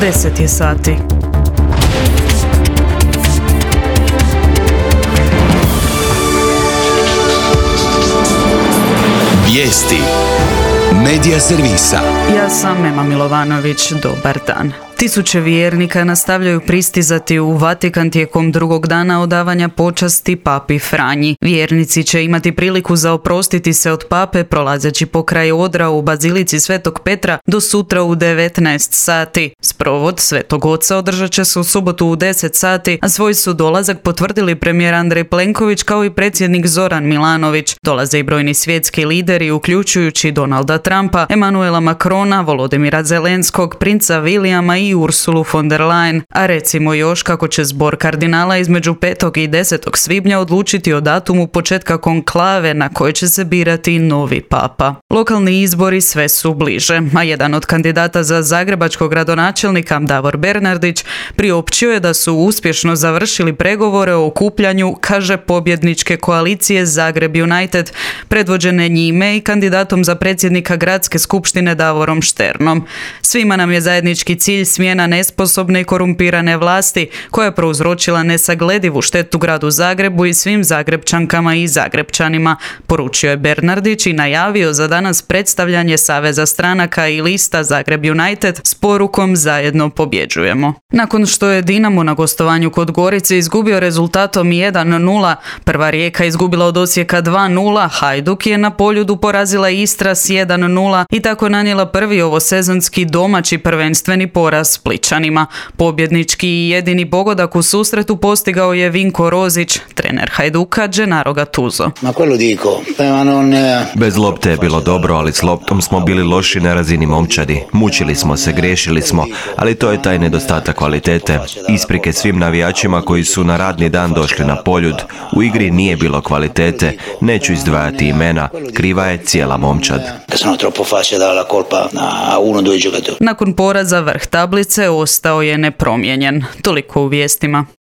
10 je sati. Vijesti Medija servisa. Ja sam Ema Milovanović, dobar dan. Tisuće vjernika nastavljaju pristizati u Vatikan tijekom drugog dana odavanja počasti papi Franji. Vjernici će imati priliku za oprostiti se od pape prolazeći pokraj odra u bazilici Svetog Petra do sutra u 19 sati. Sprovod Svetog Oca održat će se u subotu u 10 sati, a svoj su dolazak potvrdili premijer Andrej Plenković kao i predsjednik Zoran Milanović. Dolaze i brojni svjetski lideri, uključujući Donalda Trumpa, Emanuela Macrona, Volodimira Zelenskog, princa Williama i Ursulu von der Leyen, a recimo još kako će zbor kardinala između 5. i 10. svibnja odlučiti o datumu početka konklave na kojoj će se birati novi papa. Lokalni izbori sve su bliže, a jedan od kandidata za zagrebačkog gradonačelnika, Davor Bernardić, priopćio je da su uspješno završili pregovore o okupljanju, kaže, pobjedničke koalicije Zagreb United, predvođene njime i kandidatom za predsjednika gradske skupštine Davorom Šternom. Svima nam je zajednički cilj smjena nesposobne i korumpirane vlasti koja je prouzročila nesagledivu štetu gradu Zagrebu i svim Zagrebčankama i Zagrebčanima, poručio je Bernardić i najavio za danas predstavljanje Saveza stranaka i lista Zagreb United s porukom Zajedno pobjeđujemo. Nakon što je Dinamo na gostovanju kod Gorice izgubio rezultatom 1-0, Prva Rijeka izgubila od Osijeka 2-0, Hajduk je na Poljudu porazila Istra s 1-0 i tako nanijela prvi ovosezonski domaći prvenstveni poraz Splićanima. Pobjednički i jedini pogodak u susretu postigao je Vinko Rozić, trener Hajduka Gennaro Gattuso. Bez lopte je bilo dobro, ali s loptom smo bili loši na razini momčadi. Mučili smo se, griješili smo, ali to je taj nedostatak kvalitete. Isprike svim navijačima koji su na radni dan došli na Poljud. U igri nije bilo kvalitete, neću izdvajati imena, kriva je cijela momčad. Nakon poraza vrh tablice ostao je nepromijenjen. Toliko u vijestima.